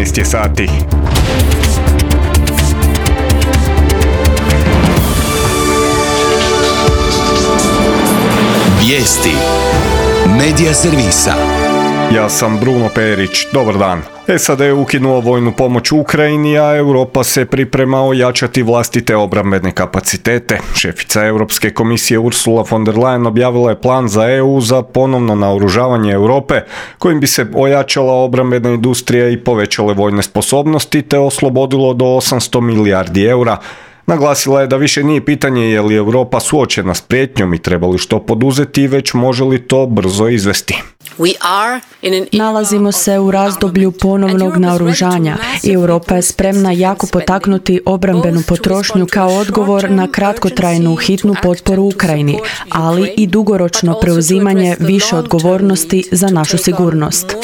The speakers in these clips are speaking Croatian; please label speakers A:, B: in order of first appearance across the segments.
A: 13 je sati.
B: Vijesti Medija servisa.
A: Ja sam Bruno Perić, dobar dan. SAD je ukinuo vojnu pomoć Ukrajini, a Europa se priprema ojačati vlastite obrambene kapacitete. Šefica Europske komisije Ursula von der Leyen objavila je plan za EU za ponovno naoružavanje Europe, kojim bi se ojačala obrambena industrija i povećale vojne sposobnosti, te oslobodilo do 800 milijardi eura. Naglasila je da više nije pitanje je li Europa suočena s prijetnjom i treba li što poduzeti, već može li to brzo izvesti.
C: Nalazimo se u razdoblju ponovnog naoružanja i Europa je spremna jako potaknuti obrambenu potrošnju kao odgovor na kratkotrajnu hitnu potporu Ukrajini, ali i dugoročno preuzimanje više odgovornosti za našu sigurnost.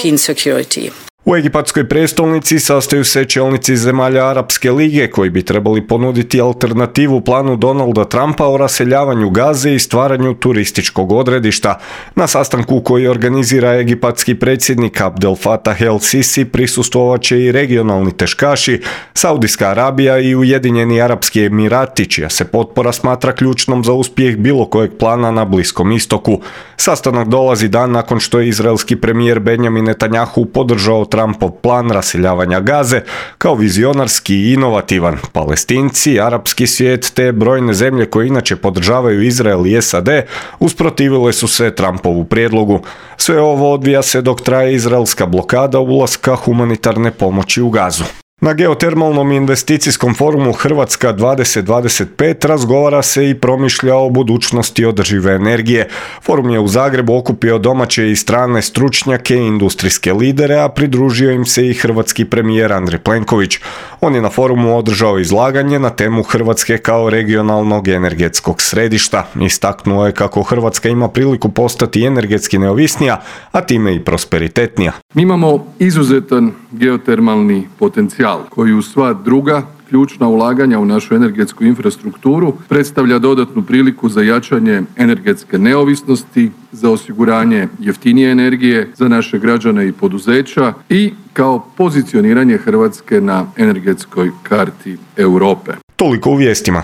A: U egipatskoj prestolnici sastaju se čelnici zemalja Arapske lige koji bi trebali ponuditi alternativu planu Donalda Trumpa o raseljavanju Gaze i stvaranju turističkog odredišta. Na sastanku koji organizira egipatski predsjednik Abdel Fattah el-Sisi prisustvovat će i regionalni teškaši, Saudijska Arabija i Ujedinjeni Arapski Emirati, čija se potpora smatra ključnom za uspjeh bilo kojeg plana na Bliskom istoku. Sastanak dolazi dan nakon što je izraelski premijer Benjamin Netanjahu podržao Trumpov plan raseljavanja Gaze kao vizionarski i inovativan. Palestinci, arapski svijet te brojne zemlje koje inače podržavaju Izrael i SAD usprotivile su se Trumpovu prijedlogu. Sve ovo odvija se dok traje izraelska blokada ulaska humanitarne pomoći u Gazu. Na geotermalnom investicijskom forumu Hrvatska 2025 razgovara se i promišlja o budućnosti održive energije. Forum je u Zagrebu okupio domaće i strane stručnjake i industrijske lidere, a pridružio im se i hrvatski premijer Andrej Plenković. On je na forumu održao izlaganje na temu Hrvatske kao regionalnog energetskog središta. Istaknuo je kako Hrvatska ima priliku postati energetski neovisnija, a time i prosperitetnija.
D: Mi imamo izuzetan geotermalni potencijal koji uz sva druga ključna ulaganja u našu energetsku infrastrukturu predstavlja dodatnu priliku za jačanje energetske neovisnosti, za osiguranje jeftinije energije za naše građane i poduzeća i kao pozicioniranje Hrvatske na energetskoj karti Europe.
A: Toliko u vijestima.